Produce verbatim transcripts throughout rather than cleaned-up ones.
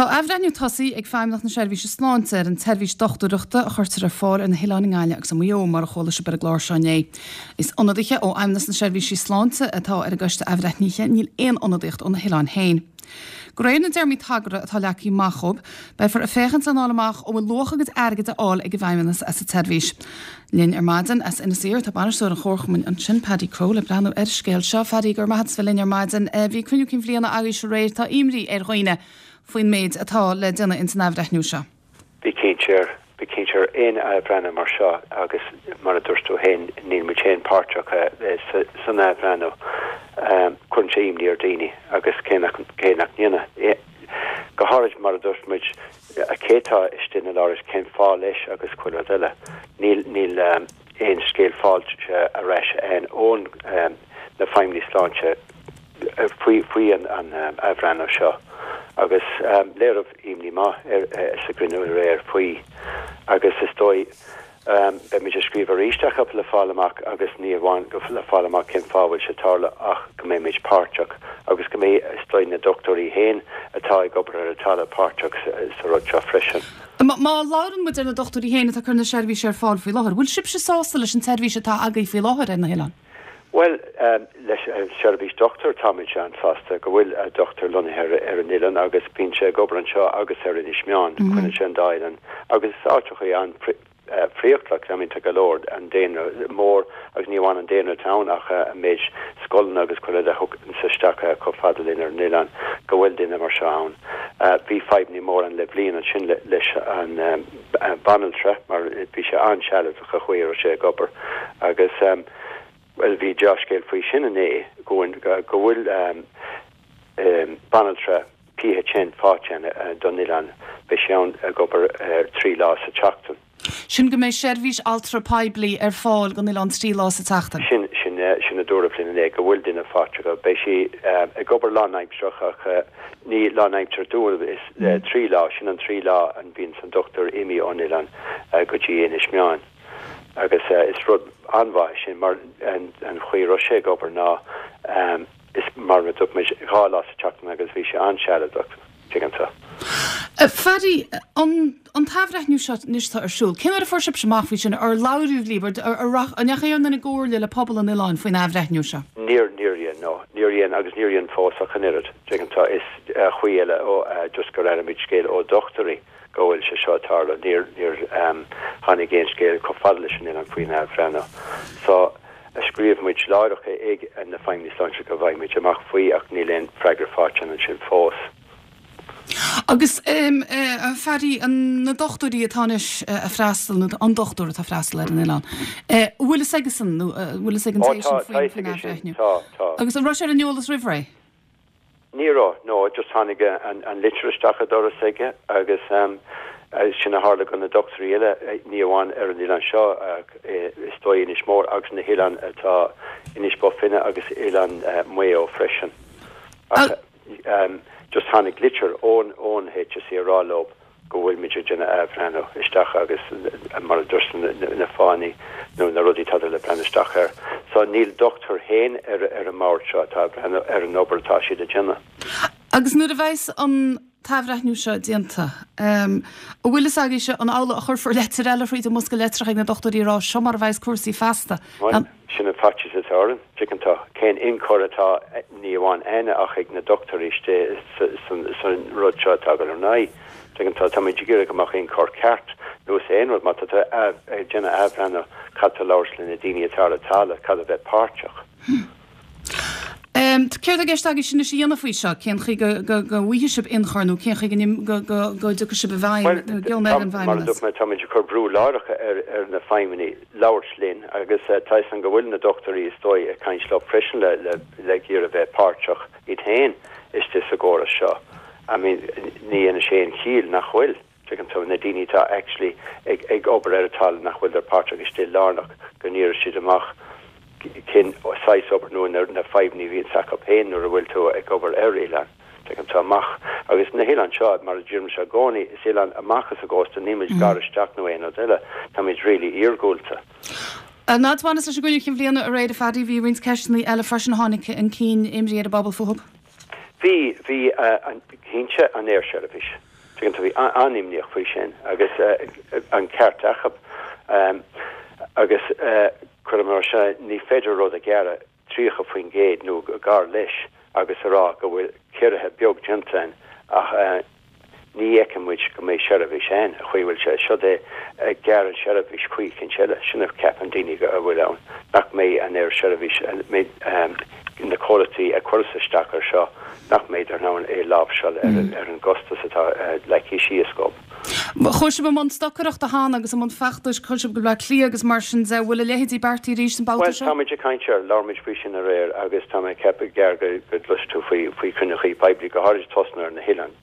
Tá athbhreithniú tosaithe ag Feidhmeannacht na Seirbhíse Sláinte ar an tseirbhís dochtúireachta a chuirtear ar fáil ar na hoileáin i nGaillimh agus i Maigh Eo mar a chuala sibh ar an gclár seo inné. Is ionadaithe ó Fheidhmeannas na Seirbhísí Sláinte atá ar an gcoiste athbhreithnithe níl aon ionadaíocht ó na hoileáin féin. De réir na dtéarmaí tagartha atá leagtha amach dóibh, beifear ag féachaint lena fháil amach an bhfuil luach a gcuid airgid á fháil ag an bhFeidhmeannas as an tseirbhís. Linn ar maidin as Inis Oírr tá bainisteoir an chomharchumainn ansin Paddy Crowe le breathnú ar an scéal seo Paddy go raibh maith agat linn ar maidin bhí cruinniú cinn bhliana agaibh aréir tá imní ar dhaoine faoin méid atá le déanamh ins an athbhreithniú seo. Bí cinnte bí cinnte aon athbhreithniú mar seo agus mar a dúirt tú féin níl muid féin páirteach san athbhreithniú cuireann sé imní ar daoine agus cé nach cé nach ndéana. Go háirid mar a dúirt muid cé tá istigh na láris cén fáth leis agus chuile rud eile. Níl níl aon scéal faighte ar ais againn ón na feidhmeannaigh sláinte faoi faoi an an athbhreithniú seo. agus um, léiríodh imní maith ar sa gcruinniú aréir faoi agus is dóigh um, beimid ag scríobh arís ach le fáil amach agus ní amháin go le fáil amach cén fáth bhfuil sé ag tarlú ach go mbeimid páirteach agus go mbeidh is dóigh na dochtúirí féin atá ag obair ar an talamh páirteach sa rud seo freisin. Má labhrann muid ar na dochtúirí féin atá ag cur na seirbhíse ar fáil faoi láthair, bhfuil sibhse sásta leis an tseirbhís atá agaibh faoi láthair ar na hoileáin? Well um, leis an uh, seirbhís dochtúir táimid an-sásta go bhfuil uh, dochtúir lonnaithe ar an oileán agus bíonn sé ag obair anseo agus ar Inis Meáin mm -hmm. sé an dá oileán agus áiteacha an friochtlach I mean go leor an daonra mór agus ní amháin an daonra ann ach uh, an méid scoileanna agus chuile a thug isteach chomh fada linn ar an oileán go bhfuil duine mar seo ann. Uh, bhí fadhbanna mór ann le bliain ansin le, leis an um, banaltra mar bhí sé an-sealadach a chuir sé ag obair agus um, well bhí dea-scéal faoi sin inné go go bhfuil um, um, banaltra PHN faighte uh, don oileán beidh sé ann ag obair uh, trí lá sa tseachtain. Sin go mbeidh seirbhís altra poiblí ar fáil don oileán trí lá sa tseachtain. Sin sin sin a dúradh linn inné go bhfuil duine faighte go beidh sí uh, ag obair lánaimseartha ach uh, ní lánaimseartha dúil is uh, trí lá sin an trí lá an bhíonn an dochtúir imithe ón oileán uh, go dtí Inis Meáin. agus uh, is rud an-mhaith sin mar an, an chaoi raibh sé ag obair ná um, is mar a dúirt mé dhá lá sa tseachtain agus bhí sé an-sealadach tuigtear. Paddy an an t-athbhreithniú seo anois atá ar siúl, Cén uair a fuair sibh amach faoi sin ar labhair libh an ndeachaigh aon duine i gcomhairle le pobal an oileáin faoin athbhreithniú seo. Níor níor dhein no níor dhein agus níor dhein fós ach an oiread tuigtear is uh, chaoi eile ó uh, just gur aimid scéal ó dochtúirí go bhfuil sé seo ag tarlú níor níor um, tháinig aon scéal chomh fada leis an oileán faoin athbhreithniú. So a scríobh muid láithreach ag na feidhmeannaigh sláinte go bhfaighimid amach faoi ach níl aon freagra faighte ansin fós. Agus um, uh, Paddy an na dochtúirí atá anois uh, ag freastal nó an dochtúir atá ag freastal ar an oileán. Uh, bhfuil a fhios aigesan nó bhfuil a fhios ag an faoin Agus an raibh sé ar an eolas roimh ré? Ní raibh no just tháinig an, an litir isteach an doras aige agus um, sin a tharla go na dochtúirí eile ní amháin ar an oileán seo is dóigh Inis Mór agus na hoileáin atá Inis Bó Finne agus oileán uh, Maigh Eo freisin. Ach, um, just tháinig litir ón ón HSE ag rá leo go bhfuil muid ag déanamh athbhreithniú isteach agus mar dúirt na fáthanna nó na rudaí atá le breathnú isteach air. So níl dochtúir féin ar ar an mbord seo atá breathnú ar an obair atá siad ag déanamh. Agus nuair a bheas an t-athbhreithniú seo déanta. Um, an bhfuil fhios agaibhse an amhlaidh a chuirfear leitir eile fríd an mbosca litreach ag na dochtúirí rá seo mar a bheas cúrsaí feasta. Um, sin an faitíos atá orainn tuigeann tú cén ionchur atá ní amháin againne ach ag na dochtúirí san rud seo atá ar aghaidh. Tuigeann tú tá muid ag iarraidh go mbeadh ionchur ceart nó is aon rud má tá déanamh athbhreithniú caithfidh tú labhairt le na daoine atá ar an talamh caithfidh bheith páirteach. Um, Céard atá i gceist agaibh sin a dhéanamh faoi seo cén chaoi go bhfaighidh sibh ionchur nó cén chaoi go go dtiocfaidh sibh i bhfeidhm ar an bhfeidhmeannas. Tá muid ag cur brú láithreach ar ar na feidhmeannaigh labhairt linn agus uh, tá an go bhfuil na dochtúirí is dóigh ag caint leo freisin le le le iarraidh bheith páirteach iad féin istigh sa gcóras seo. I mean ní in sé an chiall nach bhfuil tuigeann tú na daoine atá actually ag ag obair ar an talamh nach bhfuil páirteach istigh lárnach go n-iarraidh siad amach cén saghas obair nó na na fadhbanna a bhíonn acu féin nuair a bhfuil tú ag obair ar oileán. Tuigeann tú amach agus na hoileáin seo mar a deirim i gcónaí is oileán amach as an gcósta nílimid gar isteach nó aon rud eile táimid really iargúlta. Ná bhain leis an gcruinniú cinn bhliana aréir Phaddy bhí roinnt ceisteanna eile freisin tháinig chun cinn imní ar an bpobal fúthu. Bhí bhí cinnte an aersheirbhís. Tuigeann tú, bhí an-imníoch faoi sin agus an ceart acu. Agus cuirim mar seo, ní féidir rud a ghearradh tríocha faoin gcéad nó gar leis agus a rá go bhfuil ciorruithe beag déanta ann ach ní fheiceann muid go mbeidh seirbhís ann, an chaoi a bhfuil sé. Seod é, gearr an seirbhís chaoi eicínt eile, sin a cheapann daoine go bhfuil ann, nach mbeidh an oiread seirbhís, na comhlachtaí a chuireas isteach ar seo, nach mbeidh in ann é láimhseáil ar an gcostas atá leagtha síos dhób. Chuaigh sibh i mbun stocaireachta cheana agus i mbun feachtais, chuaigh sibh go Bleá Cliath agus mar sin de, bhfuil a leithéidí beartaithe arís an babhta Bhuel, seo? táimid ag caint air, labhair muid faoi sin aréir agus tá mé ag ceapadh gearr go gcloisfidh tú faoi faoi chruinniúchaí poiblí, go háirid tosnú ar na hoileáin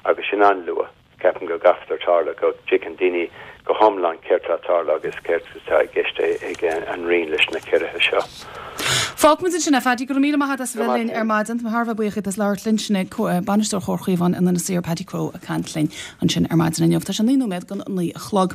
agus sin an-luath. Ceapaim go gcaithfear tarlú, go dtuigeann daoine go hiomlán céard atá ag tarlú agus céard atá i gceist ag an Roinn leis na ciorruithe seo. Fágfaimid ansin é, Phaddy, go raibh míle maith agat as a Go bheith maith linn ar féin. maidin. Tá mé thar a bheith buíoch díot as labhairt linn. Sin é Bainisteoir Chomhar Chaomhán in Inis Oírr, Paddy Crowe, ag caint linn ansin ar maidin inniu. Tá sé naoi nóiméad don naoi a chlog.